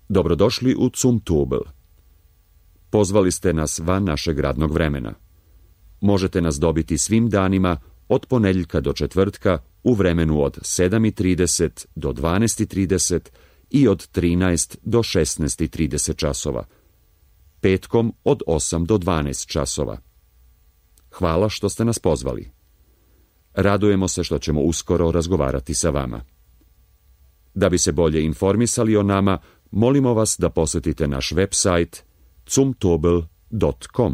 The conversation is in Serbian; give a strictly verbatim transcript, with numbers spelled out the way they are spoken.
Dobrodošli u Zumtobel. Pozvali ste nas van našeg radnog vremena. Možete nas dobiti svim danima od ponedjeljka do četvrtka u vremenu od sedam i trideset do dvanaest i trideset i od trinaest do šesnaest i trideset časova. Petkom od osam do dvanaest časova. Hvala što ste nas pozvali. Radujemo se što ćemo uskoro razgovarati sa vama. Da bi se bolje informisali o nama, molimo vas da posjetite naš website zumtobel dot com.